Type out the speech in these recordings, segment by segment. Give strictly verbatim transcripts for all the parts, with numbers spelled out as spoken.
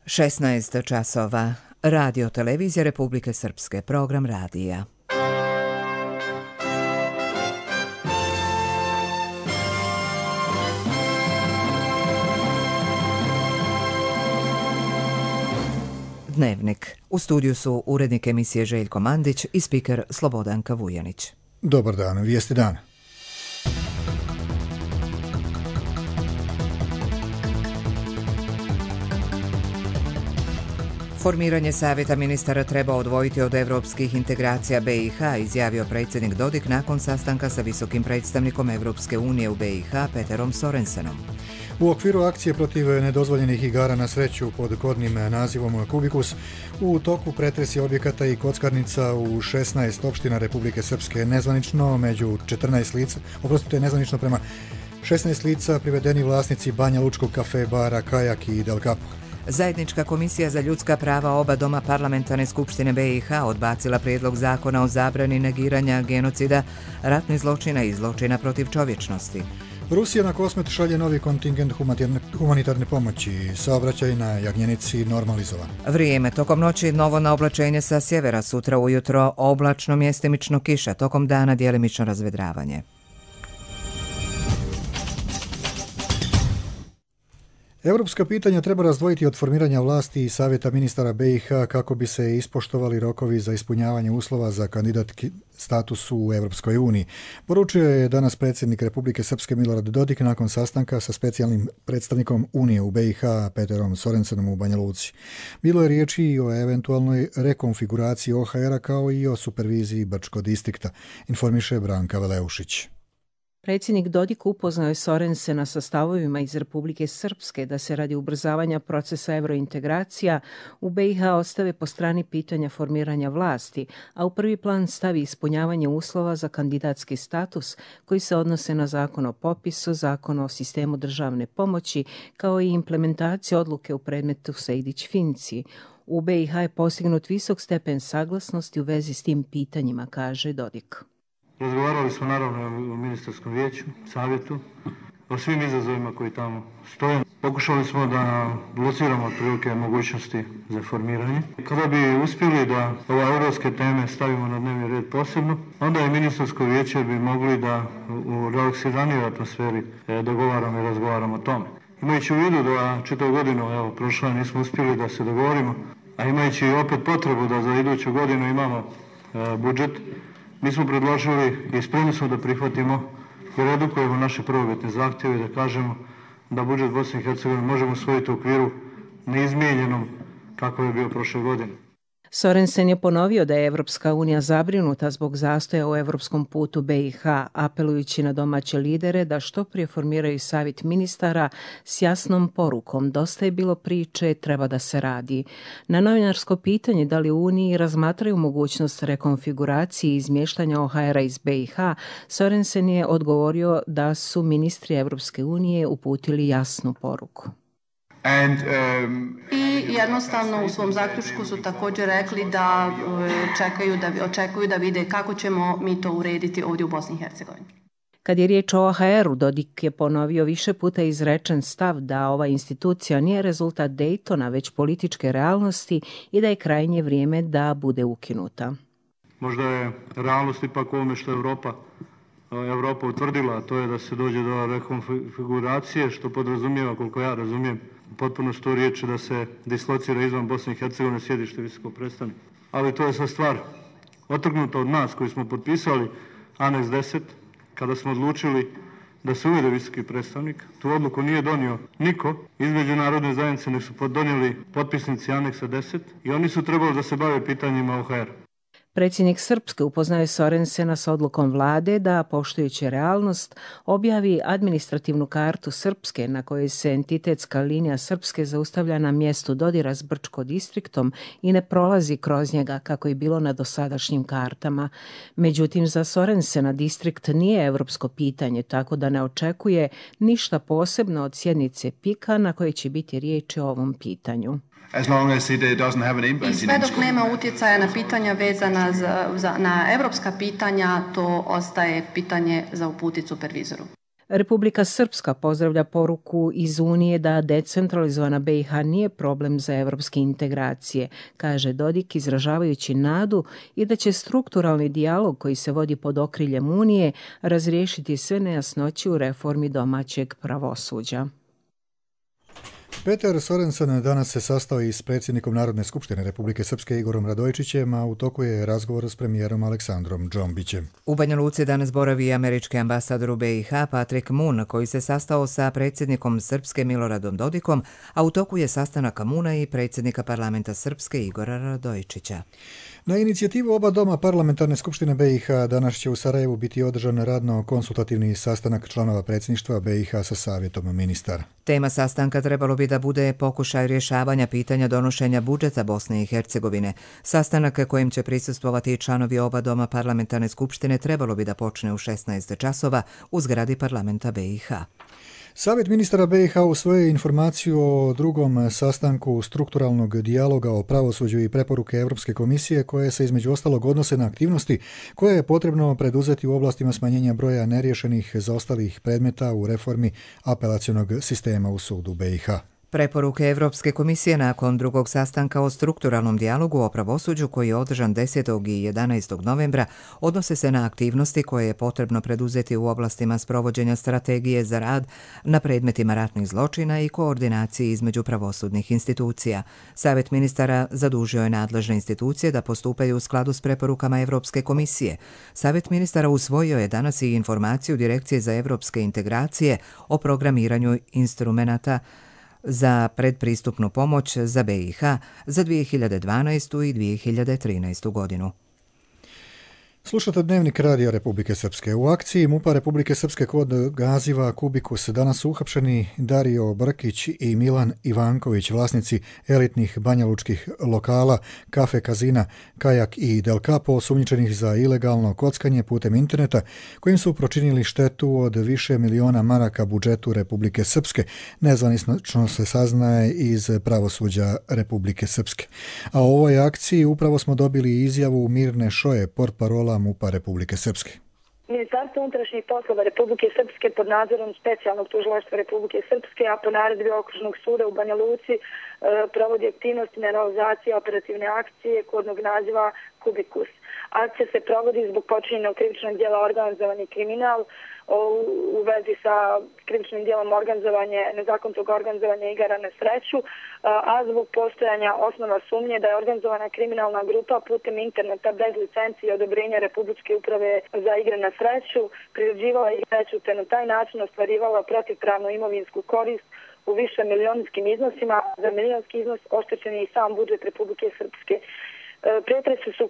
šesnaest časova. Radio televizija Republike Srpske. Program radija. Dnevnik. U studiju su urednik emisije Željko Mandić i spiker Slobodanka Vujanić. Dobar dan, vijesti dana. Formiranje Savjeta ministara treba odvojiti od evropskih integracija B i H, izjavio predsjednik Dodik nakon sastanka sa visokim predstavnikom Evropske unije u B i H Peterom Sorensenom. U okviru akcije protiv nedozvoljenih igara na sreću pod kodnim nazivom Kubikus, u toku pretresi objekata i kockarnica u šesnaest opština Republike Srpske, nezvanično među četrnaest lica, oprostite, nezvanično prema šesnaest lica privedeni vlasnici Banja Lučkog kafe, bara, Kajak i Del Capo. Zajednička komisija za ljudska prava oba doma parlamentarne skupštine B i H odbacila prijedlog zakona o zabrani negiranja genocida, ratnih zločina i zločina protiv čovječnosti. Rusija na Kosmet šalje novi kontingent humanitarne pomoći. Saobraćaj na Jagnjenici normalizovan. Vrijeme. Tokom noći novo naoblačenje sa sjevera, sutra ujutro oblačno, mjestimično kiša, tokom dana djelimično razvedravanje. Europska pitanja treba razdvojiti od formiranja vlasti i Savjeta ministara B i H kako bi se ispoštovali rokovi za ispunjavanje uslova za kandidatski status u Europskoj uniji. Poručio je danas predsjednik Republike Srpske Milorad Dodik nakon sastanka sa specijalnim predstavnikom Unije u B i H Peterom Sorensenom u Banja Luci. Bilo je riječi i o eventualnoj rekonfiguraciji O H R-a kao i o superviziji Brčkog distrikta, informiše Branka Veleušić. Predsjednik Dodik upoznao je Sorensena sa stavovima iz Republike Srpske da se radi ubrzavanja procesa evrointegracija u B i H ostave po strani pitanja formiranja vlasti, a u prvi plan stavi ispunjavanje uslova za kandidatski status koji se odnose na zakon o popisu, zakon o sistemu državne pomoći, kao i implementaciju odluke u predmetu Sejdić-Finci. U B i H je postignut visok stepen saglasnosti u vezi s tim pitanjima, kaže Dodik. Razgovarali smo naravno o ministarskom vijeću, savjetu, o svim izazovima koji tamo stoje. Pokušali smo da blociramo otprilike mogućnosti za formiranje. Kada bi uspjeli da ove europske teme stavimo na dnevni red posebno, onda je ministarsko vijeće bi mogli da u relaksiranijoj atmosferi dogovaramo i razgovaramo o tome. Imajući u vidu da čitavu godinu, evo, prošla nismo uspjeli da se dogovorimo, a imajući opet potrebu da za iduću godinu imamo e, budžet, mi smo predložili i spremni smo da prihvatimo i redukujemo naše prvobitne zahtjeve i da kažemo da budžet Bosne i Hercegovine možemo usvojiti u okviru neizmijenjenom kako je bio prošle godine. Sorensen je ponovio da je Evropska unija zabrinuta zbog zastoja u evropskom putu B i H, apelujući na domaće lidere da što prije formiraju savjet ministara s jasnom porukom. Dosta je bilo priče, treba da se radi. Na novinarsko pitanje da li u Uniji razmatraju mogućnost rekonfiguracije i izmještanja O H R-a iz B i H, Sorensen je odgovorio da su ministri Evropske unije uputili jasnu poruku. And, um, I jednostavno u svom zaključku su također rekli da čekaju, da očekuju da vide kako ćemo mi to urediti ovdje u Bosni i Hercegovini. Kad je riječ o O H R-u, Dodik je ponovio više puta izrečen stav da ova institucija nije rezultat Daytona, već političke realnosti i da je krajnje vrijeme da bude ukinuta. Možda je realnost ipak ovome što je Europa Evropa utvrdila, a to je da se dođe do rekonfiguracije, što podrazumijeva, koliko ja razumijem, potpuno sto riječi da se dislocira izvan Bosne i Hercegovine sjedište visokog predstavnika. Ali to je sad stvar otrgnuta od nas koji smo potpisali aneks deset, kada smo odlučili da se uvede visoki predstavnik. Tu odluku nije donio niko iz međunarodne zajednice, nek su donijeli potpisnici aneksa deset i oni su trebali da se bave pitanjima O H R. Predsjednik Srpske upoznao je Sorensena s odlukom vlade da, poštujući realnost, objavi administrativnu kartu Srpske na kojoj se entitetska linija Srpske zaustavlja na mjestu dodira s Brčko distriktom i ne prolazi kroz njega kako je bilo na dosadašnjim kartama. Međutim, za Sorensena distrikt nije evropsko pitanje, tako da ne očekuje ništa posebno od sjednice P I K-a na kojoj će biti riječi o ovom pitanju. As long as it doesn't have an impact. I sve dok nema utjecaja na pitanja vezana za, za, na evropska pitanja, to ostaje pitanje za uputiti supervizoru. Republika Srpska pozdravlja poruku iz Unije da decentralizovana B i H nije problem za evropske integracije, kaže Dodik izražavajući nadu i da će strukturalni dijalog koji se vodi pod okriljem Unije razriješiti sve nejasnoće u reformi domaćeg pravosuđa. Peter Sorensen danas se sastao i s predsjednikom Narodne skupštine Republike Srpske Igorom Radojičićem, a u toku je razgovor s premijerom Aleksandrom Džombićem. U Banja Luci danas boravi američki ambasador u B i H Patrick Moon, koji se sastao sa predsjednikom Srpske Miloradom Dodikom, a u toku je sastanak Moona i predsjednika parlamenta Srpske Igora Radojičića. Na inicijativu oba doma Parlamentarne skupštine B i H danas će u Sarajevu biti održan radno-konsultativni sastanak članova predsjedništva B i H sa savjetom ministara. Tema sastanka trebalo bi da bude pokušaj rješavanja pitanja donošenja budžeta Bosne i Hercegovine. Sastanak kojim će prisustvovati članovi oba doma Parlamentarne skupštine trebalo bi da počne u šesnaest časova u zgradi parlamenta B i H. Savjet ministara B i H usvojio informaciju o drugom sastanku strukturalnog dijaloga o pravosuđu i preporuke Europske komisije koje se između ostalog odnose na aktivnosti koje je potrebno preduzeti u oblastima smanjenja broja neriješenih zaostalih predmeta u reformi apelacionog sistema u sudu B i H. Preporuke Evropske komisije nakon drugog sastanka o strukturalnom dijalogu o pravosuđu koji je održan desetog i jedanaestog novembra odnose se na aktivnosti koje je potrebno preduzeti u oblastima sprovođenja strategije za rad na predmetima ratnih zločina i koordinaciji između pravosudnih institucija. Savjet ministara zadužio je nadležne institucije da postupaju u skladu s preporukama Evropske komisije. Savjet ministara usvojio je danas i informaciju Direkcije za evropske integracije o programiranju instrumenata za predpristupnu pomoć za B i H za dvije hiljade dvanaestu i dvije hiljade trinaestu godinu. Slušate Dnevnik radija Republike Srpske. U akciji MUP-a Republike Srpske kod gaziva Kubikus danas su uhapšeni Dario Brkić i Milan Ivanković, vlasnici elitnih banjalučkih lokala, kafe, kazina, Kajak i Del Capo, osumnjičenih za ilegalno kockanje putem interneta, kojim su pročinili štetu od više miliona maraka budžetu Republike Srpske. Nezvanično se saznaje iz pravosuđa Republike Srpske. A u ovoj akciji upravo smo dobili izjavu Mirne Šoje, portparola MUP-a Republike Srpske. Ministarstvo unutrašnjih poslova Republike Srpske pod nadzorom specijalnog tužilaštva Republike Srpske, a po naredbi Okružnog suda u Banja Luci e, provodi aktivnosti na realizaciji operativne akcije kodnog naziva Kubikus. Akcija se provodi zbog počinjenog krivičnog djela organizovani kriminal u vezi sa krivičnim djelom organizovanje, nezakonitog organizovanja igara na sreću, a zbog postojanja osnova sumnje da je organizovana kriminalna grupa putem interneta bez licencije i odobrenja Republičke uprave za igre na sreću priređivala i sreću te na taj način ostvarivala protivpravnu imovinsku korist u više milionskim iznosima. Za milionski iznos oštećen je i sam budžet Republike Srpske. Pretresi su e,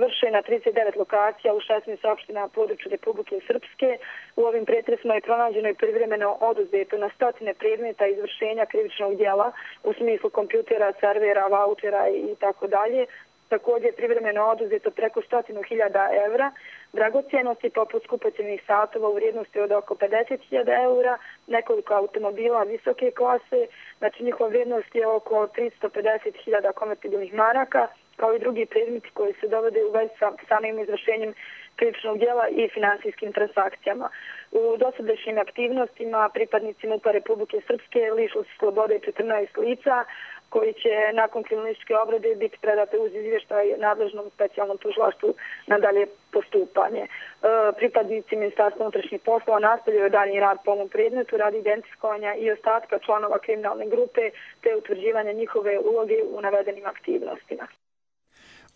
vršeni na trideset devet lokacija u šesnaest opština na području Republike Srpske. U ovim pretresima je pronađeno i privremeno oduzeto na stotine predmeta izvršenja krivičnog djela u smislu kompjutera, servera, vaučera i tako dalje. Također je privremeno oduzeto preko stotinu hiljada evra, dragocjenosti poput skupocjenih satova u vrijednosti od oko pedeset hiljada eura, nekoliko automobila visoke klase, znači njihova vrijednost je oko tristo pedeset hiljada konvertibilnih maraka, kao i drugi predmeti koji se dovode u vezi sa samim izvršenjem krivičnog djela i finansijskim transakcijama. U dosadašnjim aktivnostima pripadnici MUP-a Republike Srpske lišili su slobode četrnaest lica koji će nakon kriminalističke obrade biti predate uz izvještaj nadležnom specijalnom tužilaštvu na dalje postupanje. E, pripadnici Ministarstva unutrašnjih poslova nastavljaju daljnji rad po ovom predmetu radi identifikovanja i ostatka članova kriminalne grupe te utvrđivanja njihove uloge u navedenim aktivnostima.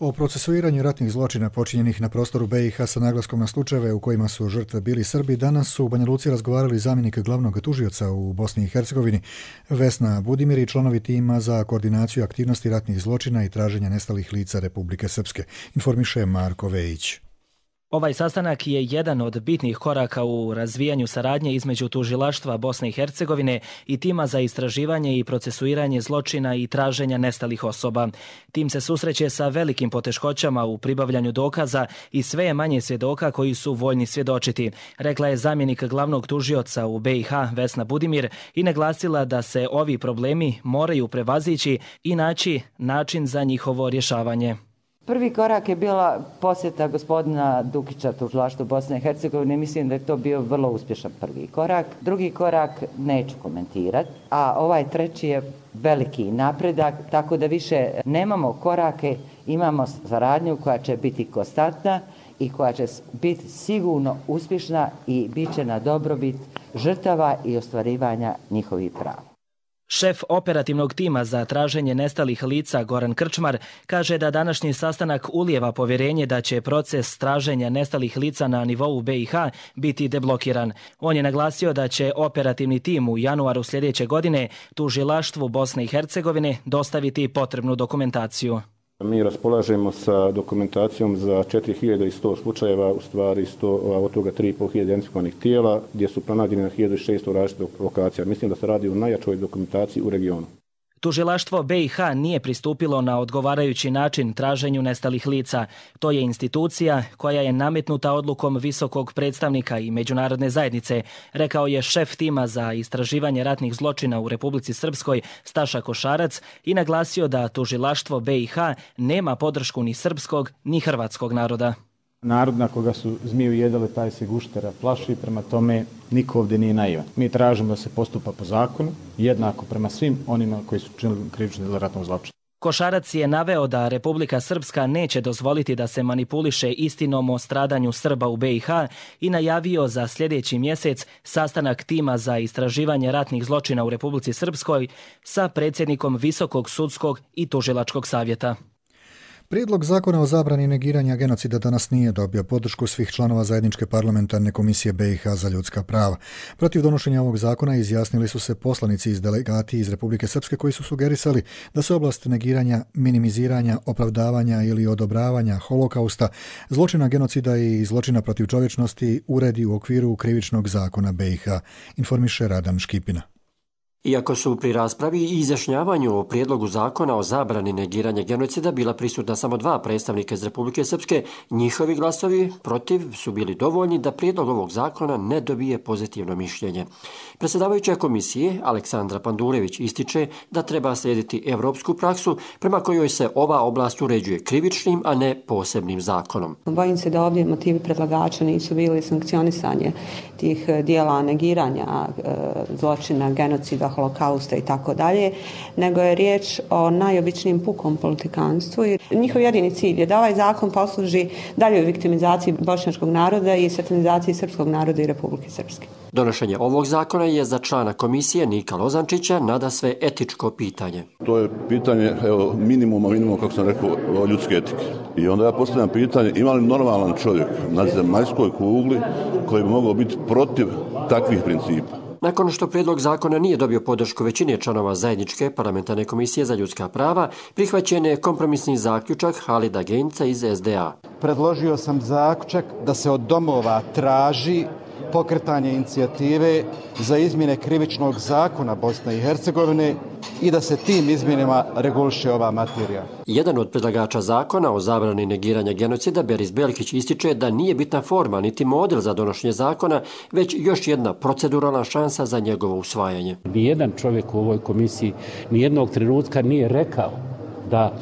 O procesuiranju ratnih zločina počinjenih na prostoru B i H sa naglaskom na slučajeve u kojima su žrtve bili Srbi danas su u Banja Luci razgovarali zamjenik glavnog tužioca u Bosni i Hercegovini Vesna Budimir i članovi tima za koordinaciju aktivnosti ratnih zločina i traženja nestalih lica Republike Srpske, informiše Marko Vejić. Ovaj sastanak je jedan od bitnih koraka u razvijanju saradnje između tužilaštva Bosne i Hercegovine i tima za istraživanje i procesuiranje zločina i traženja nestalih osoba. Tim se susreće sa velikim poteškoćama u pribavljanju dokaza i sve je manje svjedoka koji su voljni svjedočiti, rekla je zamjenik glavnog tužioca u B i H Vesna Budimir i naglasila da se ovi problemi moraju prevazići i naći način za njihovo rješavanje. Prvi korak je bila posjeta gospodina Dukića tužilaštvu Bosne i Hercegovine. Mislim da je to bio vrlo uspješan prvi korak. Drugi korak neću komentirati, a ovaj treći je veliki napredak, tako da više nemamo korake, imamo saradnju koja će biti konstantna i koja će biti sigurno uspješna i bit će na dobrobit žrtava i ostvarivanja njihovih prava. Šef operativnog tima za traženje nestalih lica Goran Krčmar kaže da današnji sastanak ulijeva povjerenje da će proces traženja nestalih lica na nivou B i H biti deblokiran. On je naglasio da će operativni tim u januaru sljedeće godine tužilaštvu Bosne i Hercegovine dostaviti potrebnu dokumentaciju. Mi raspolažemo sa dokumentacijom za četiri hiljade sto slučajeva, u stvari sto, od toga tri i pol hiljade identifikovanih tijela, gdje su pronađeni na hiljadu šesto različitih lokacija. Mislim da se radi o najjačoj dokumentaciji u regionu. Tužilaštvo B i H nije pristupilo na odgovarajući način traženju nestalih lica. To je institucija koja je nametnuta odlukom visokog predstavnika i međunarodne zajednice, rekao je šef tima za istraživanje ratnih zločina u Republici Srpskoj Staša Košarac i naglasio da tužilaštvo B i H nema podršku ni srpskog ni hrvatskog naroda. Narod na koga su zmiju jedale, taj se guštera plaši, prema tome niko ovdje nije naivan. Mi tražimo da se postupa po zakonu, jednako prema svim onima koji su činili krivično djelo ratnog zločina. Košarac je naveo da Republika Srpska neće dozvoliti da se manipuliše istinom o stradanju Srba u B i H i najavio za sljedeći mjesec sastanak tima za istraživanje ratnih zločina u Republici Srpskoj sa predsjednikom Visokog sudskog i tužilačkog savjeta. Prijedlog zakona o zabrani negiranja genocida danas nije dobio podršku svih članova zajedničke parlamentarne komisije B i H za ljudska prava. Protiv donošenja ovog zakona izjasnili su se poslanici iz delegati iz Republike Srpske koji su sugerisali da se oblast negiranja, minimiziranja, opravdavanja ili odobravanja holokausta, zločina genocida i zločina protiv čovječnosti uredi u okviru krivičnog zakona B i H, informiše Radan Škipina. Iako su pri raspravi i izjašnjavanju o prijedlogu zakona o zabrani negiranja genocida bila prisutna samo dva predstavnika iz Republike Srpske, njihovi glasovi protiv su bili dovoljni da prijedlog ovog zakona ne dobije pozitivno mišljenje. Predsjedavajuća komisije Aleksandra Pandurević ističe da treba slijediti evropsku praksu prema kojoj se ova oblast uređuje krivičnim, a ne posebnim zakonom. Bojim se da ovdje motivi predlagača nisu bili sankcionisanje tih dijela negiranja zločina, genocida, holokausta i tako dalje, nego je riječ o najobičnijem pukom politikanstvu. Njihov jedini cilj je da ovaj zakon posluži daljoj viktimizaciji bošnjačkog naroda i satanizaciji srpskog naroda i Republike Srpske. Donošenje ovog zakona je za člana komisije Nika Lozančića nadasve etičko pitanje. To je pitanje evo, minimuma, minimuma, kako sam rekao, ljudske etike. I onda ja postavljam pitanje, ima li normalan čovjek na zemaljskoj kugli koji bi mogao biti protiv takvih principa? Nakon što prijedlog zakona nije dobio podršku većine članova zajedničke parlamentarne komisije za ljudska prava, prihvaćen je kompromisni zaključak Halida Genca iz S D A. Predložio sam zaključak da se od domova traži pokretanje inicijative za izmjene krivičnog zakona Bosne i Hercegovine i da se tim izmjenama reguliše ova materija. Jedan od predlagača zakona o zabrani negiranja genocida, Beris Belkić, ističe da nije bitna forma niti model za donošenje zakona, već još jedna proceduralna šansa za njegovo usvajanje. Nijedan čovjek u ovoj komisiji nijednog trenutka nije rekao da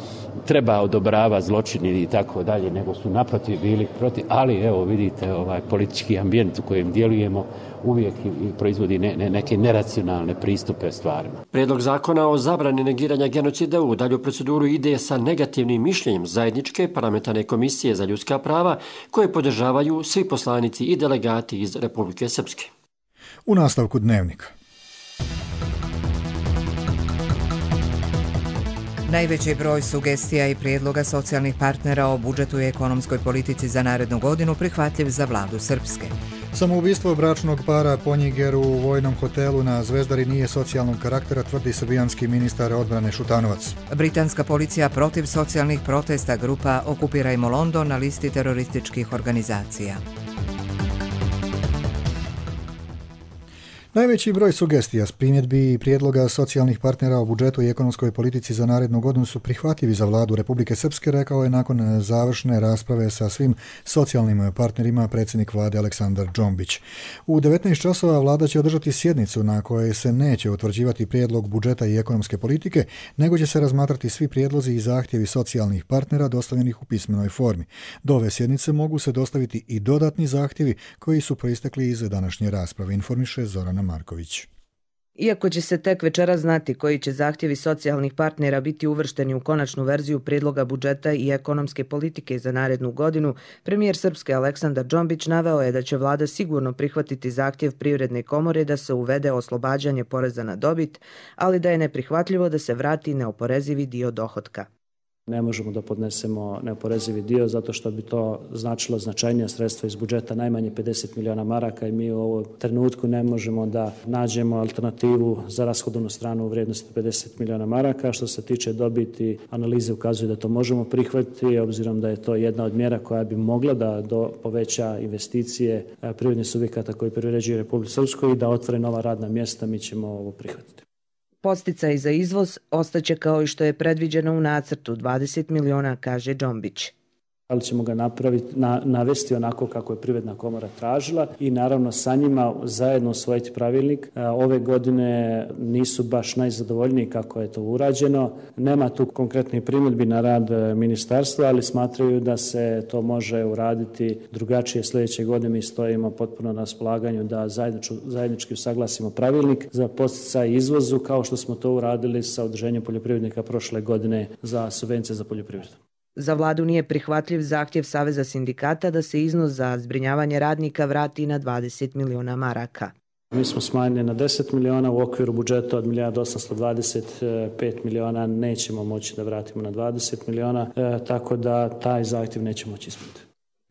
treba odobrava zločini i tako dalje, nego su naprotiv bili protiv, ali evo vidite ovaj politički ambijent u kojem djelujemo uvijek i proizvodi ne, ne, neke neracionalne pristupe stvarima. Prijedlog zakona o zabrani negiranja genocida u dalju proceduru ide sa negativnim mišljenjem zajedničke parlamentarne komisije za ljudska prava koje podržavaju svi poslanici i delegati iz Republike Srpske. U nastavku dnevnika. Najveći broj sugestija i prijedloga socijalnih partnera o budžetu i ekonomskoj politici za narednu godinu prihvatljiv za vladu Srpske. Samoubistvo bračnog para Ponjiger u vojnom hotelu na Zvezdari nije socijalnog karaktera, tvrdi srbijanski ministar odbrane Šutanovac. Britanska policija protiv socijalnih protesta grupa Okupirajmo London na listi terorističkih organizacija. Najveći broj sugestija, primjedbi i prijedloga socijalnih partnera o budžetu i ekonomskoj politici za narednu godinu su prihvatljivi za vladu Republike Srpske, rekao je nakon završne rasprave sa svim socijalnim partnerima predsjednik vlade Aleksandar Džombić. U devetnaest časova vlada će održati sjednicu na kojoj se neće utvrđivati prijedlog budžeta i ekonomske politike, nego će se razmatrati svi prijedlozi i zahtjevi socijalnih partnera dostavljenih u pismenoj formi. Do ove sjednice mogu se dostaviti i dodatni zahtjevi koji su proistekli iz današnje rasprave, informiše Zorana Marković. Iako će se tek večera znati koji će zahtjevi socijalnih partnera biti uvršteni u konačnu verziju prijedloga budžeta i ekonomske politike za narednu godinu, premijer Srpske Aleksandar Džombić naveo je da će vlada sigurno prihvatiti zahtjev Privredne komore da se uvede oslobađanje poreza na dobit, ali da je neprihvatljivo da se vrati neoporezivi dio dohotka. Ne možemo da podnesemo neoporezivi dio zato što bi to značilo značajnija sredstva iz budžeta, najmanje pedeset miliona maraka, i mi u ovom trenutku ne možemo da nađemo alternativu za rashodovnu stranu u vrijednosti pedeset miliona maraka. Što se tiče dobiti, analize ukazuju da to možemo prihvatiti, obzirom da je to jedna od mjera koja bi mogla da do poveća investicije privrednih subjekata koji privređuju Republiku Srpsku i da otvore nova radna mjesta. Mi ćemo ovo prihvatiti. Podsticaj za izvoz ostaće kao i što je predviđeno u nacrtu, dvadeset miliona, kaže Džombić. Ali ćemo ga napraviti, na, navesti onako kako je Privredna komora tražila i naravno sa njima zajedno usvojiti pravilnik. Ove godine nisu baš najzadovoljniji kako je to urađeno. Nema tu konkretnih primjedbi na rad ministarstva, ali smatraju da se to može uraditi drugačije sljedeće godine. Mi stojimo potpuno na raspolaganju da zajednički, zajednički usaglasimo pravilnik za podsticaj izvozu, kao što smo to uradili sa udruženjem poljoprivrednika prošle godine za subvencije za poljoprivredu. Za vladu nije prihvatljiv zahtjev Saveza sindikata da se iznos za zbrinjavanje radnika vrati na dvadeset miliona maraka. Mi smo smanjili na deset miliona u okviru budžeta od milijardu osamsto dvadeset pet miliona, nećemo moći da vratimo na dvadeset miliona, e, tako da taj zahtjev nećemo moći ispuniti.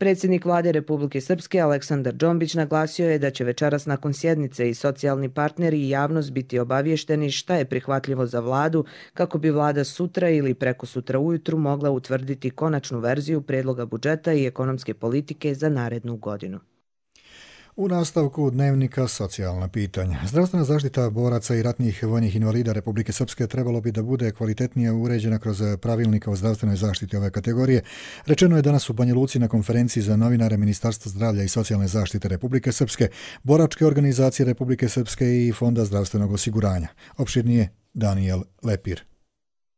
Predsjednik vlade Republike Srpske Aleksandar Džombić naglasio je da će večeras nakon sjednice i socijalni partneri i javnost biti obavješteni šta je prihvatljivo za vladu, kako bi vlada sutra ili preko sutra ujutru mogla utvrditi konačnu verziju prijedloga budžeta i ekonomske politike za narednu godinu. U nastavku dnevnika socijalna pitanja. Zdravstvena zaštita boraca i ratnih vojnih invalida Republike Srpske trebalo bi da bude kvalitetnije uređena kroz pravilnika o zdravstvenoj zaštiti ove kategorije. Rečeno je danas u Banja Luci na konferenciji za novinare Ministarstva zdravlja i socijalne zaštite Republike Srpske, boračke organizacije Republike Srpske i Fonda zdravstvenog osiguranja. Opširnije Daniel Lepir.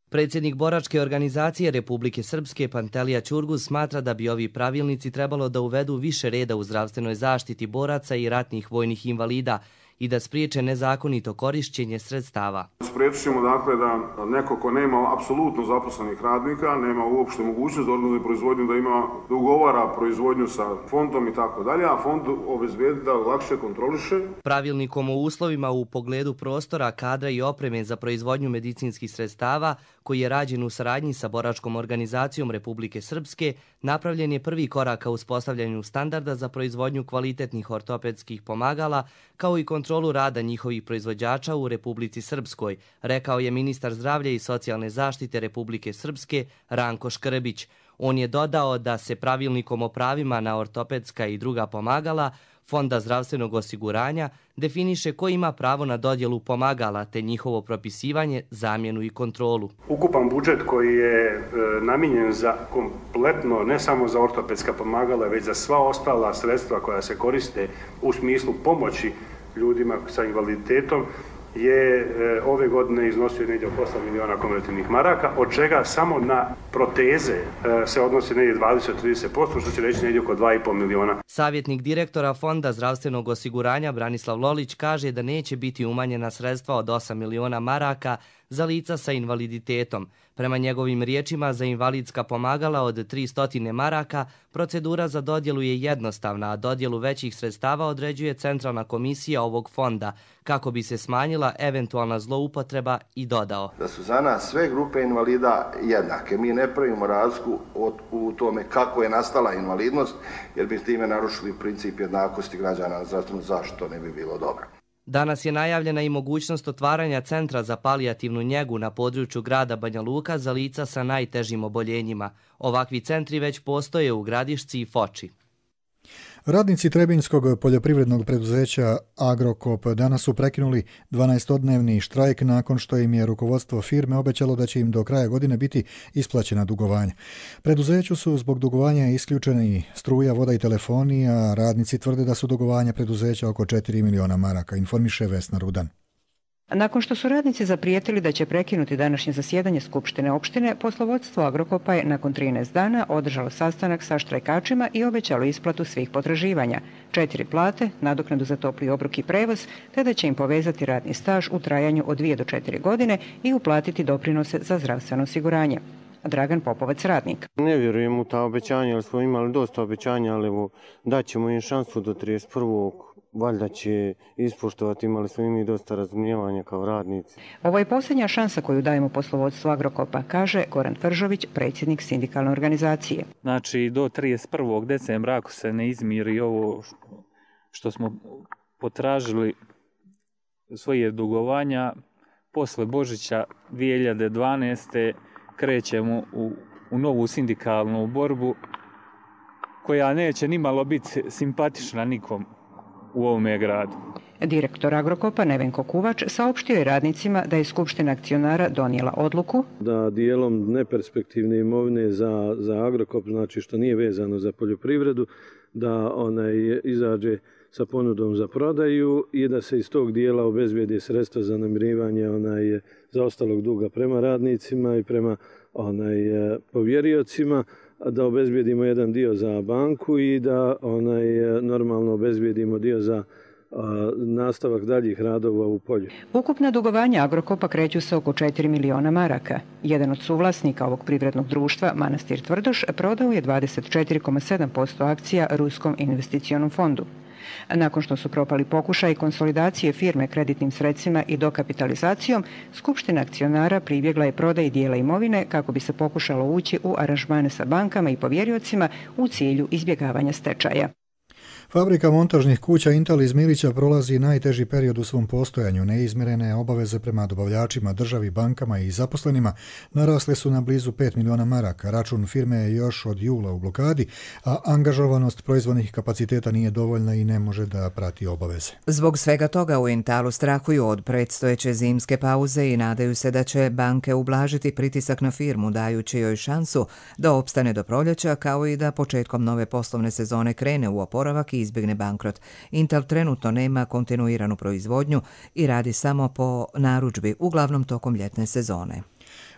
Predsjednik boračke organizacije Republike Srpske Pantelija Ćurguz smatra da bi ovi pravilnici trebalo da uvedu više reda u zdravstvenoj zaštiti boraca i ratnih vojnih invalida i da spriječe nezakonito korišćenje sredstava. Spriječit ćemo dakle da neko ko nema apsolutno zaposlenih radnika, nema uopšte mogućnost da organizuje proizvodnju, da ima da ugovara proizvodnju sa fondom i tako dalje, a fond obezbijedi da lakše kontroliše. Pravilnikom o uslovima u pogledu prostora, kadra i opreme za proizvodnju medicinskih sredstava, koji je rađen u saradnji sa boračkom organizacijom Republike Srpske, napravljen je prvi korak ka uspostavljanju standarda za proizvodnju kvalitetnih ortopedskih pomagala, kao i kontrolu rada njihovih proizvođača u Republici Srpskoj, rekao je ministar zdravlja i socijalne zaštite Republike Srpske Ranko Škrbić. On je dodao da se pravilnikom o pravima na ortopedska i druga pomagala Fonda zdravstvenog osiguranja definiše ko ima pravo na dodjelu pomagala te njihovo propisivanje, zamjenu i kontrolu. Ukupan budžet koji je e, namijenjen za kompletno, ne samo za ortopedska pomagala, već za sva ostala sredstva koja se koriste u smislu pomoći ljudima sa invaliditetom, je e, ove godine iznosio negdje oko osam miliona konvertivnih maraka, od čega samo na proteze e, se odnosi negdje dvadeset do trideset posto, što će reći negdje oko dva i pol miliona. Savjetnik direktora Fonda zdravstvenog osiguranja Branislav Lolić kaže da neće biti umanjena sredstva od osam miliona maraka za lica sa invaliditetom. Prema njegovim riječima, za invalidska pomagala od tristo maraka procedura za dodjelu je jednostavna, a dodjelu većih sredstava određuje Centralna komisija ovog fonda, kako bi se smanjila eventualna zloupotreba, i dodao. Da su za nas sve grupe invalida jednake. Mi ne pravimo razliku u tome kako je nastala invalidnost, jer bi time narušili princip jednakosti građana na zdravstvenu zaštitu, to ne bi bilo dobro. Danas je najavljena i mogućnost otvaranja centra za palijativnu njegu na području grada Banja Luka za lica sa najtežim oboljenjima. Ovakvi centri već postoje u Gradišci i Foči. Radnici Trebinjskog poljoprivrednog preduzeća Agrokop danas su prekinuli dvanaestodnevni štrajk nakon što im je rukovodstvo firme obećalo da će im do kraja godine biti isplaćena dugovanja. Preduzeću su zbog dugovanja isključeni struja, voda i telefoni, a radnici tvrde da su dugovanja preduzeća oko četiri miliona maraka, informiše Vesna Rudan. Nakon što su radnici zaprijetili da će prekinuti današnje zasjedanje Skupštine opštine, poslovodstvo Agrokopa je nakon trinaest dana održalo sastanak sa štrajkačima i obećalo isplatu svih potraživanja, četiri plate, nadoknadu za topli obrok i prevoz, te da će im povezati radni staž u trajanju od dvije do četiri godine i uplatiti doprinose za zdravstveno osiguranje. Dragan Popovac, radnik. Ne vjerujem u ta obećanja, ali smo imali dosta obećanja, ali evo, daćemo im šansu do trideset prvog valjda će ispoštovati, imali smo i mi dosta razumijevanja kao radnici. Ovo je posljednja šansa koju dajemo poslovodstvu Agrokopa, kaže Goran Tvržović, predsjednik sindikalne organizacije. Znači do trideset prvog decembra ako se ne izmiri ovo što smo potražili svoje dugovanja, posle Božića dvije hiljade dvanaeste. krećemo u, u novu sindikalnu borbu koja neće nimalo biti simpatična nikom u ovome gradu. Direktor Agrokopa Nevenko Kuvač saopštio je radnicima da je Skupština akcionara donijela odluku da dijelom neperspektivne imovine za, za Agrokop, znači što nije vezano za poljoprivredu, da onaj izađe sa ponudom za prodaju i da se iz tog dijela obezbijedi sredstva za namirivanje onaj zaostalog duga prema radnicima i prema onaj povjeriocima, da obezbijedimo jedan dio za banku i da onaj normalno obezbijedimo dio za a, nastavak daljih radova u polju. Ukupna dugovanja Agrokopa kreću se oko četiri miliona maraka. Jedan od suvlasnika ovog privrednog društva, Manastir Tvrdoš, prodao je dvadeset četiri zarez sedam posto akcija Ruskom investicionom fondu. Nakon što su propali pokušaj konsolidacije firme kreditnim sredstvima i dokapitalizacijom, Skupština akcionara pribjegla je prodaji dijela imovine kako bi se pokušalo ući u aranžmane sa bankama i povjeriocima u cilju izbjegavanja stečaja. Fabrika montažnih kuća Intal iz Milića prolazi najteži period u svom postojanju. Neizmirene obaveze prema dobavljačima, državi, bankama i zaposlenima narasle su na blizu pet miliona maraka. Račun firme je još od jula u blokadi, a angažovanost proizvodnih kapaciteta nije dovoljna i ne može da prati obaveze. Zbog svega toga u Intalu strahuju od predstojeće zimske pauze i nadaju se da će banke ublažiti pritisak na firmu, dajući joj šansu da opstane do proljeća, kao i da početkom nove poslovne sezone krene u oporavak i izbjegne bankrot. Intel trenutno nema kontinuiranu proizvodnju i radi samo po narudžbi, uglavnom tokom ljetne sezone.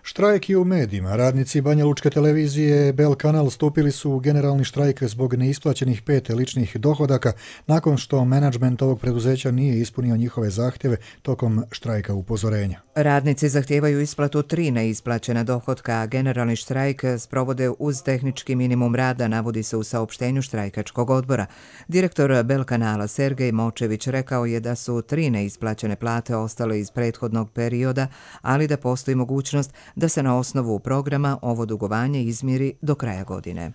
Štrajk i u medijima. Radnici Banja Lučke televizije Bel Kanal stupili su u generalni štrajk zbog neisplaćenih pet ličnih dohodaka nakon što menadžment ovog preduzeća nije ispunio njihove zahtjeve tokom štrajka upozorenja. Radnici zahtijevaju isplatu tri neisplaćena dohodka, a generalni štrajk sprovode uz tehnički minimum rada, navodi se u saopštenju štrajkačkog odbora. Direktor Bel Kanala Sergej Močević rekao je da su tri neisplaćene plate ostale iz prethodnog perioda, ali da postoji mogućnost da se na osnovu programa ovo dugovanje izmiri do kraja godine.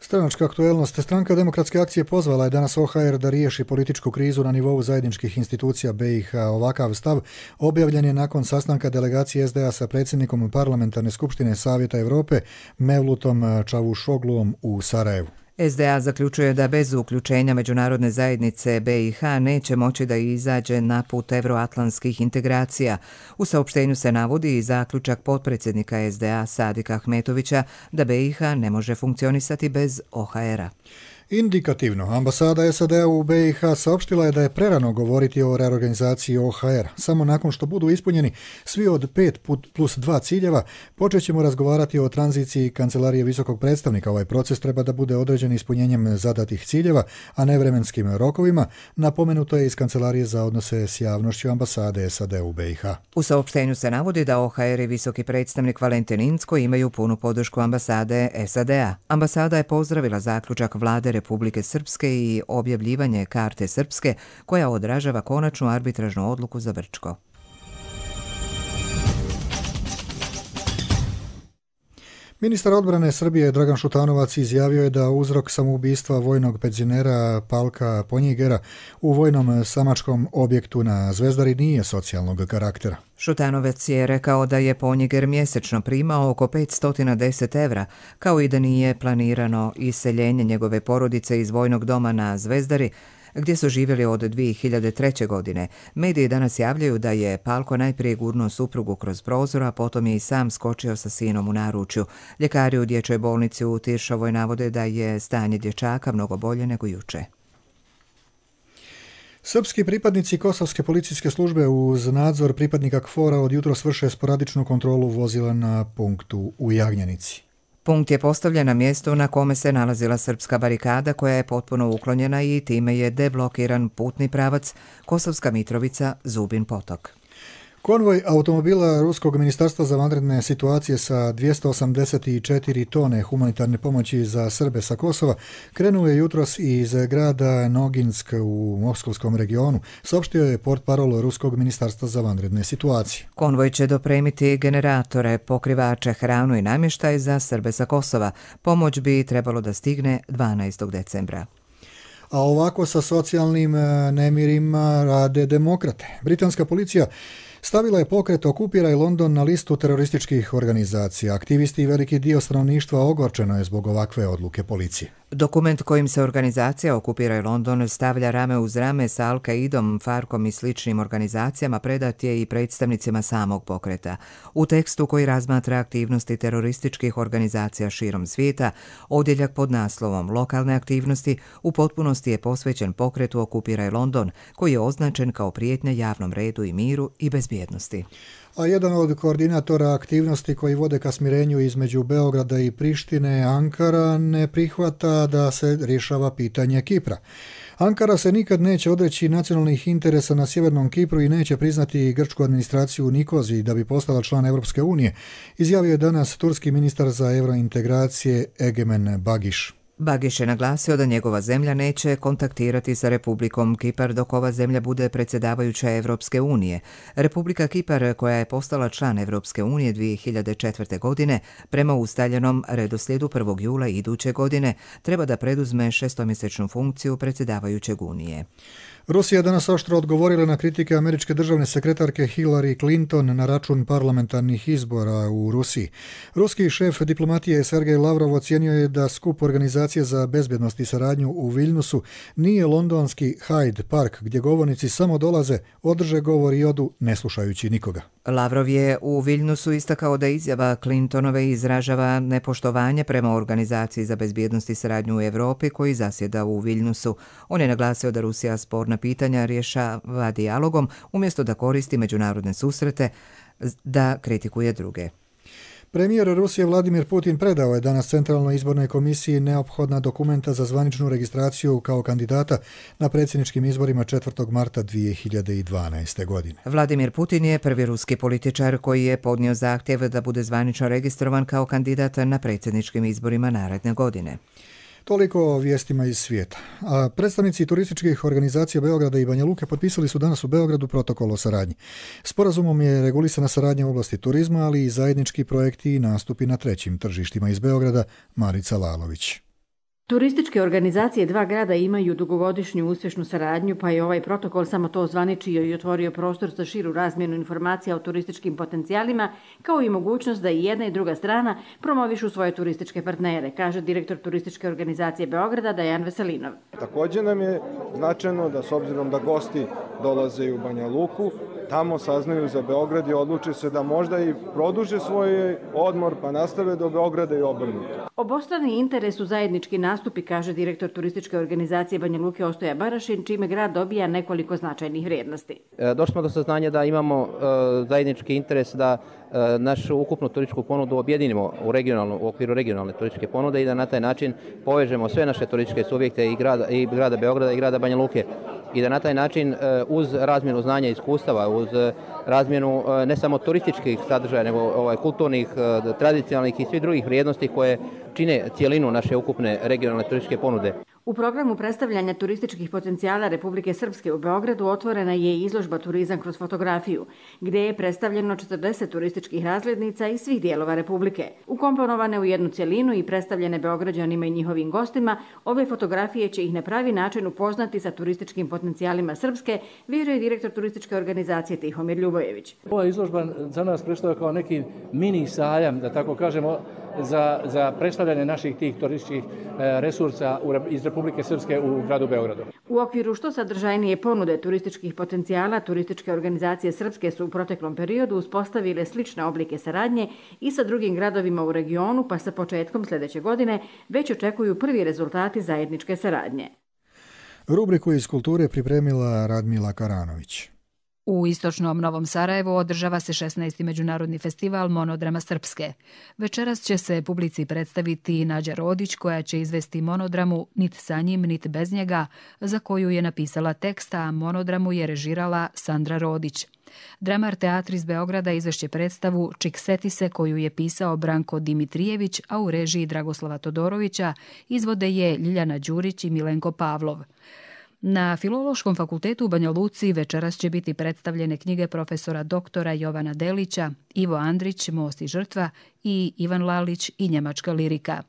Stranačka aktuelnost. Stranka Demokratske akcije pozvala je danas O H R da riješi političku krizu na nivou zajedničkih institucija B i H. Ovakav stav objavljen je nakon sastanka delegacije S D A sa predsjednikom Parlamentarne skupštine Savjeta Europe Mevlutom Čavušogluom u Sarajevu. S D A zaključuje da bez uključenja međunarodne zajednice B i H neće moći da izađe na put evroatlantskih integracija. U saopštenju se navodi i zaključak potpredsjednika S D A Sadika Ahmetovića da B i H ne može funkcionisati bez O H R-a. Indikativno, ambasada S A D-a u B i H saopštila je da je prerano govoriti o reorganizaciji O H R. Samo nakon što budu ispunjeni svi od pet plus dva ciljeva, počet ćemo razgovarati o tranziciji Kancelarije visokog predstavnika. Ovaj proces treba da bude određen ispunjenjem zadatih ciljeva, a ne vremenskim rokovima, napomenuto je iz Kancelarije za odnose s javnošću ambasade S A D-a u B i H. U saopštenju se navodi da O H R i visoki predstavnik Valentin Incko imaju punu podršku ambasade S A D-a. Ambasada je pozdravila zaključak vlade Republike Srpske i objavljivanje karte Srpske koja odražava konačnu arbitražnu odluku za Brčko. Ministar odbrane Srbije Dragan Šutanovac izjavio je da uzrok samoubistva vojnog penzionera Palka Ponjigera u vojnom samačkom objektu na Zvezdari nije socijalnog karaktera. Šutanovac je rekao da je Ponjiger mjesečno primao oko petsto deset evra, kao i da nije planirano iseljenje njegove porodice iz vojnog doma na Zvezdari, gdje su živjeli od dvije hiljade treće. godine. Mediji danas javljaju da je Palko najprije gurnuo suprugu kroz prozor, a potom je i sam skočio sa sinom u naručju. Ljekari u dječjoj bolnici u Tiršovoj navode da je stanje dječaka mnogo bolje nego juče. Srpski pripadnici kosovske policijske službe uz nadzor pripadnika KFOR-a od jutros vrše sporadičnu kontrolu vozila na punktu u Jagnjanici. Punkt je postavljen na mjestu na kome se nalazila srpska barikada koja je potpuno uklonjena i time je deblokiran putni pravac Kosovska Mitrovica – Zubin Potok. Konvoj automobila Ruskog ministarstva za vanredne situacije sa dvjesto osamdeset četiri tone humanitarne pomoći za Srbe sa Kosova krenuo je jutros iz grada Noginsk u Moskovskom regionu, saopštio je portparol Ruskog ministarstva za vanredne situacije. Konvoj će dopremiti generatore, pokrivače, hranu i namještaj za Srbe sa Kosova. Pomoć bi trebalo da stigne dvanaestog decembra. A ovako sa socijalnim nemirima rade demokrate. Britanska policija stavila je pokret Okupiraj London na listu terorističkih organizacija. Aktivisti i veliki dio stanovništva ogorčeno je zbog ovakve odluke policije. Dokument kojim se organizacija Okupiraj London stavlja rame uz rame sa Al-Qaidom, Farkom i sličnim organizacijama predat je i predstavnicima samog pokreta. U tekstu koji razmatra aktivnosti terorističkih organizacija širom svijeta, odjeljak pod naslovom Lokalne aktivnosti u potpunosti je posvećen pokretu Okupiraj London, koji je označen kao prijetnja javnom redu i miru i bezbjednosti. A jedan od koordinatora aktivnosti koji vode ka smirenju između Beograda i Prištine, Ankara, ne prihvata da se rješava pitanje Kipra. Ankara se nikad neće odreći nacionalnih interesa na Sjevernom Kipru i neće priznati grčku administraciju u Nikoziji da bi postala član Europske unije, izjavio je danas turski ministar za eurointegracije Egemen Bagiš. Bagiš je naglasio da njegova zemlja neće kontaktirati sa Republikom Kipar dok ova zemlja bude predsjedavajuća Evropske unije. Republika Kipar, koja je postala član Evropske unije dvije hiljade četvrte. godine, prema ustaljenom redoslijedu prvog jula iduće godine, treba da preduzme šestomjesečnu funkciju predsjedavajućeg unije. Rusija danas oštro odgovorila na kritike američke državne sekretarke Hillary Clinton na račun parlamentarnih izbora u Rusiji. Ruski šef diplomatije Sergej Lavrov ocijenio je da skup Organizacije za bezbjednost i saradnju u Viljnusu nije londonski Hyde Park gdje govornici samo dolaze, održe govor i odu ne slušajući nikoga. Lavrov je u Viljnusu istakao da izjava Clintonove izražava nepoštovanje prema Organizaciji za bezbjednost i saradnju u Europi koji zasjeda u Viljnusu. On je naglasio da Rusija sporna pitanja rješava dijalogom umjesto da koristi međunarodne susrete da kritikuje druge. Premijer Rusije Vladimir Putin predao je danas Centralnoj izbornoj komisiji neophodna dokumenta za zvaničnu registraciju kao kandidata na predsjedničkim izborima četvrtog marta dvije hiljade dvanaeste. godine. Vladimir Putin je prvi ruski političar koji je podnio zahtjev da bude zvanično registrovan kao kandidat na predsjedničkim izborima naredne godine. Toliko o vijestima iz svijeta. A predstavnici turističkih organizacija Beograda i Banja Luke potpisali su danas u Beogradu protokol o saradnji. Sporazumom je regulisana saradnja u oblasti turizma, ali i zajednički projekti i nastupi na trećim tržištima. Iz Beograda, Marica Lalović. Turističke organizacije dva grada imaju dugogodišnju uspješnu saradnju, pa je ovaj protokol samo to ozvaničio i otvorio prostor za širu razmjenu informacija o turističkim potencijalima, kao i mogućnost da i jedna i druga strana promovišu svoje turističke partnere, kaže direktor Turističke organizacije Beograda Dejan Veselinov. Također nam je značajno da s obzirom da gosti dolaze u Banja Luku, tamo saznaju za Beograd i odluče se da možda i produže svoj odmor pa nastave do Beograda i obrnuto. Obostrani interes u zajednički nastupi, kaže direktor Turističke organizacije Banja Luke Ostoja Barašin, čime grad dobija nekoliko značajnih vrijednosti. Došli smo do saznanja da imamo uh, zajednički interes da uh, našu ukupnu turističku ponudu objedinimo u, u okviru regionalne turističke ponude i da na taj način povežemo sve naše turističke subjekte i grada, i grada Beograda i grada Banja Luke. I da na taj način uz razmjenu znanja i iskustava, uz razmjenu ne samo turističkih sadržaja, nego ovaj, kulturnih, tradicionalnih i svih drugih vrijednosti koje čine cijelinu naše ukupne regionalne turističke ponude. U programu predstavljanja turističkih potencijala Republike Srpske u Beogradu otvorena je izložba Turizam kroz fotografiju, gdje je predstavljeno četrdeset turističkih razglednica iz svih dijelova Republike. Ukomponovane u jednu cjelinu i predstavljene Beograđanima i njihovim gostima, ove fotografije će ih na pravi način upoznati sa turističkim potencijalima Srpske, vjeruje direktor turističke organizacije Tihomir Ljubojević. Ova izložba za nas predstavlja kao neki mini sajam, da tako kažemo, za, za predstavljanje naših tih turističkih resursa iz Republike Srpske u gradu Beogradu. U okviru što sadržajnije ponude turističkih potencijala, turističke organizacije Srpske su u proteklom periodu uspostavile slične oblike saradnje i sa drugim gradovima u regionu, pa sa početkom sljedeće godine već očekuju prvi rezultati zajedničke saradnje. Rubriku iz kulture pripremila Radmila Karanović. U istočnom Novom Sarajevu održava se šesnaesti međunarodni festival Monodrama Srpske. Večeras će se publici predstaviti Nađa Rodić, koja će izvesti monodramu Nit sa njim, nit bez njega, za koju je napisala tekst, a monodramu je režirala Sandra Rodić. Dramar teatr iz Beograda izvešće predstavu Čiksetise, koju je pisao Branko Dimitrijević, a u režiji Dragoslava Todorovića izvode je Ljiljana Đurić i Milenko Pavlov. Na Filološkom fakultetu u Banja Luci večeras će biti predstavljene knjige profesora doktora Jovana Delića, Ivo Andrić, Most i žrtva i Ivan Lalić i njemačka lirika.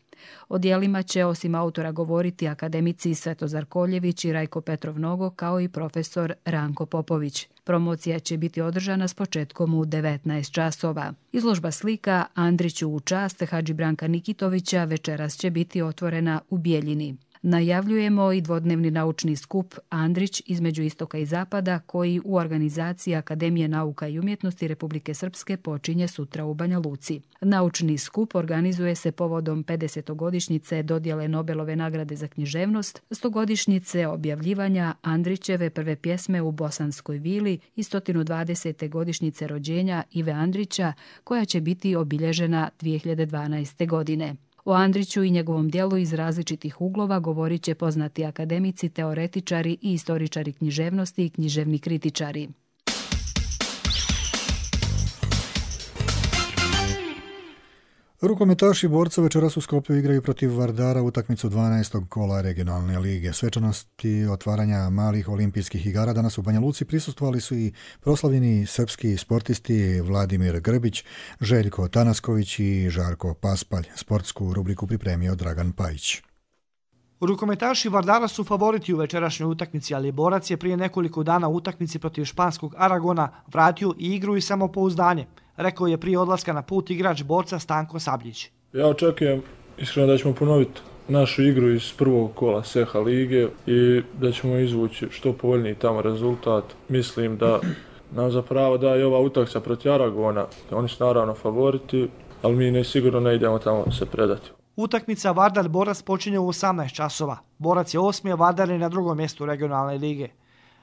O djelima će osim autora govoriti akademici Svetozar Koljević i Rajko Petrov Nogo, kao i profesor Ranko Popović. Promocija će biti održana s početkom u devetnaest časova. Izložba slika Andriću u čast Hadži Branka Nikitovića večeras će biti otvorena u Bijeljini. Najavljujemo i dvodnevni naučni skup Andrić između istoka i zapada, koji u organizaciji Akademije nauka i umjetnosti Republike Srpske počinje sutra u Banja Luci. Naučni skup organizuje se povodom pedesetogodišnjice dodjele Nobelove nagrade za književnost, stogodišnjice objavljivanja Andrićeve prve pjesme u Bosanskoj vili i sto dvadesete godišnjice rođenja Ive Andrića, koja će biti obilježena dvije hiljade dvanaeste. godine. O Andriću i njegovom djelu iz različitih uglova govorit će poznati akademici, teoretičari i istoričari književnosti i književni kritičari. Rukometaši borca večeras u Skoplju igraju protiv Vardara utakmicu dvanaestog kola regionalne lige. Svečanosti otvaranja malih olimpijskih igara danas u Banja Luci prisustvovali su i proslavljeni srpski sportisti Vladimir Grbić, Željko Tanasković i Žarko Paspalj. Sportsku rubriku pripremio Dragan Pajić. Rukometaši Vardara su favoriti u večerašnjoj utakmici, ali borac je prije nekoliko dana u utakmici protiv španskog Aragona vratio i igru i samopouzdanje, rekao je prije odlaska na put igrač borca Stanko Sabljić. Ja očekujem iskreno da ćemo ponoviti našu igru iz prvog kola Seha lige i da ćemo izvući što povoljniji tamo rezultat. Mislim da nam zapravo daje ova utakmica protiv Aragona. Oni su naravno favoriti, ali mi ne sigurno ne idemo tamo se predati. Utakmica Vardar-Borac počinje u osamnaest časova. Borac je osmi, a Vardar je na drugom mjestu regionalne lige.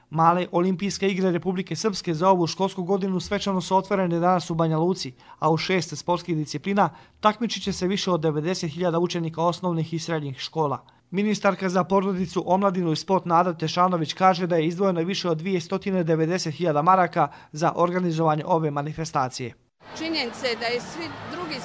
Male olimpijske igre Republike Srpske za ovu školsku godinu svečano su otvorene danas u Banja Luci, a u šest sportskih disciplina takmičit će se više od devedeset hiljada učenika osnovnih i srednjih škola. Ministarka za porodicu, omladinu i sport Nada Tešanović kaže da je izdvojeno više od dvjesto devedeset hiljada maraka za organizovanje ove manifestacije. Činjenica je da i svi drugi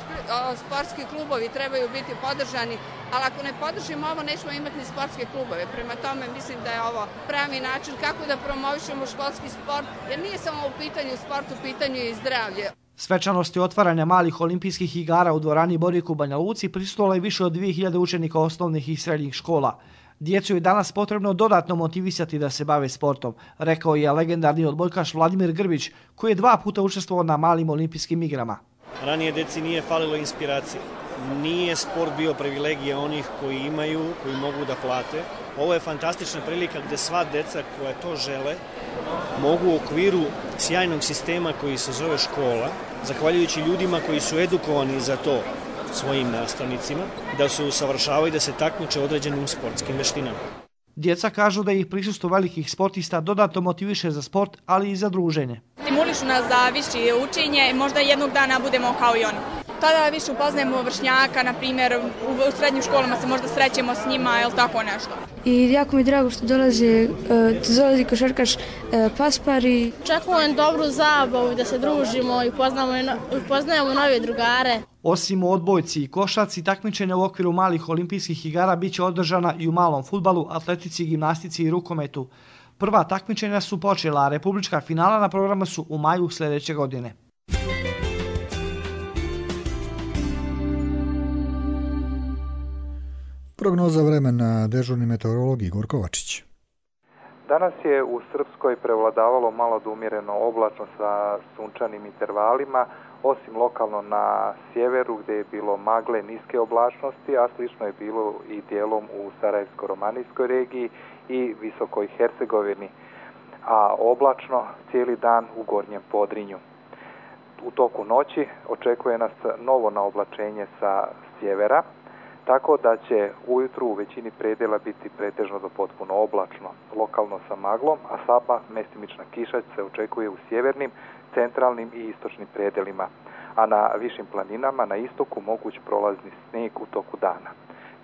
sportski klubovi trebaju biti podržani, ali ako ne podržimo ovo, nećemo imati ni sportske klubove. Prema tome mislim da je ovo pravi način kako da promovišemo školski sport, jer nije samo u pitanju sport, u pitanju i zdravlje. Svečanosti otvaranja malih olimpijskih igara u dvorani Borik u Banja Luci prisustvovalo je više od dvije hiljade učenika osnovnih i srednjih škola. Djecu je danas potrebno dodatno motivisati da se bave sportom, rekao je legendarni odbojkaš Vladimir Grbić, koji je dva puta učestvovao na malim olimpijskim igrama. Ranije deci nije falilo inspiracije. Nije sport bio privilegija onih koji imaju, koji mogu da plate. Ovo je fantastična prilika gdje sva deca koja to žele mogu u okviru sjajnog sistema koji se zove škola, zahvaljujući ljudima koji su edukovani za to svojim nastavnicima, da se usavršavaju i da se takmiče određenim sportskim veštinama. Djeca kažu da ih prisustvo velikih sportista dodatno motiviše za sport, ali i za druženje. Stimulišu nas za više učenje, možda jednog dana budemo kao i oni. tada više upoznajemo vršnjaka, na primjer u srednjim školama se možda srećemo s njima ili tako nešto. I jako mi je drago što dolazi, dolazi košarkaš Paspar i očekujem dobru zabavu, da se družimo i upoznamo, upoznajemo nove drugare. Osim u odbojci i košarci, takmičenja u okviru malih olimpijskih igara bit će održana i u malom fudbalu, atletici, gimnastici i rukometu. Prva takmičenja su počela, a republička finala na programu su u maju sljedeće godine. Prognoza vremena, dežurni meteorolog Igor Kovačić. Danas je u Srpskoj prevladavalo malo do umjereno oblačno sa sunčanim intervalima, osim lokalno na sjeveru gdje je bilo magle niske oblačnosti, a slično je bilo i dijelom u Sarajevsko-romanijskoj regiji i Visokoj Hercegovini, a oblačno cijeli dan u Gornjem Podrinju. U toku noći očekuje nas novo naoblačenje sa sjevera, tako da će ujutru u većini predjela biti pretežno do potpuno oblačno, lokalno sa maglom, a slaba mestimična kiša se očekuje u sjevernim, centralnim i istočnim predjelima, a na višim planinama na istoku moguć prolazni snijeg u toku dana.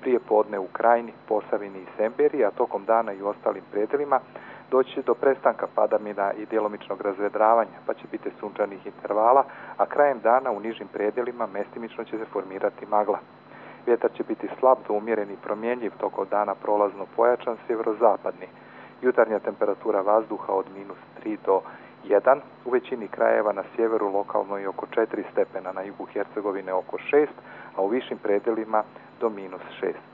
Prije podne u Krajini, Posavini i Semberiji, a tokom dana i u ostalim predjelima doći do prestanka padavina i djelomičnog razvedravanja, pa će biti sunčanih intervala, a krajem dana u nižim predjelima mestimično će se formirati magla. Vjetar će biti slab do umjeren i promjenjiv, tokom dana prolazno pojačan sjeverozapadni. Jutarnja temperatura vazduha od minus tri do jedan, u većini krajeva na sjeveru lokalno i oko četiri stepena, na jugu Hercegovine oko šest, a u višim predjelima do minus šest.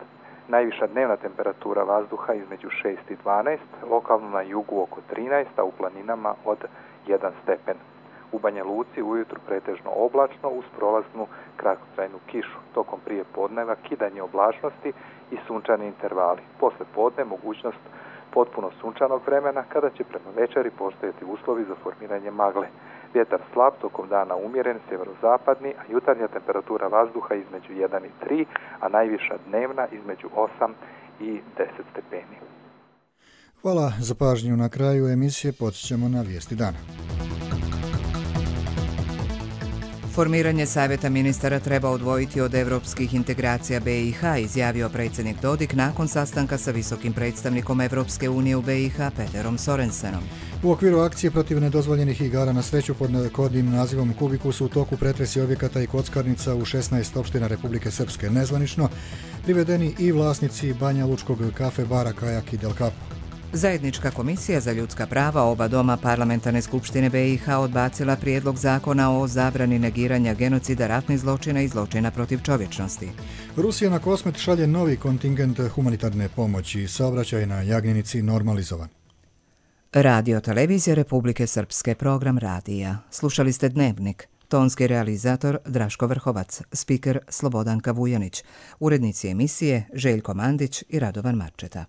Najviša dnevna temperatura vazduha između šest i dvanaest, lokalno na jugu oko trinaest, a u planinama od jedan stepen. U Banja Luci ujutru pretežno oblačno uz prolaznu kratkotrajnu kišu. Tokom prije podneva kidanje oblačnosti i sunčani intervali. Posle podne mogućnost potpuno sunčanog vremena kada će prema večeri postojati uslovi za formiranje magle. Vjetar slab, tokom dana umjeren, sjeverozapadni, a jutarnja temperatura vazduha između jedan i tri, a najviša dnevna između osam i deset stepeni. Hvala za pažnju. Na kraju emisije podsjećamo na vijesti dana. Formiranje Savjeta ministara treba odvojiti od evropskih integracija B i H, izjavio predsjednik Dodik nakon sastanka sa visokim predstavnikom Evropske unije u B i H Peterom Sorensenom. U okviru akcije protiv nedozvoljenih igara na sreću pod kodnim nazivom Kubikus u toku pretresi objekata i kockarnica u šesnaest opština Republike Srpske. Nezvanično privedeni i vlasnici Banja Lučkog kafe bara Kajak i Del Capo. Zajednička komisija za ljudska prava oba doma parlamentarne skupštine B i H odbacila prijedlog zakona o zabrani negiranja genocida, ratnih zločina i zločina protiv čovječnosti. Rusija na Kosmet šalje novi kontingent humanitarne pomoći. Saobraćaj na Jagnjenici normalizovan. Radio Televizija Republike Srpske, program radija. Slušali ste Dnevnik. Tonski realizator Draško Vrhovac, spiker Slobodanka Vujanić, urednici emisije Željko Mandić i Radovan Marčeta.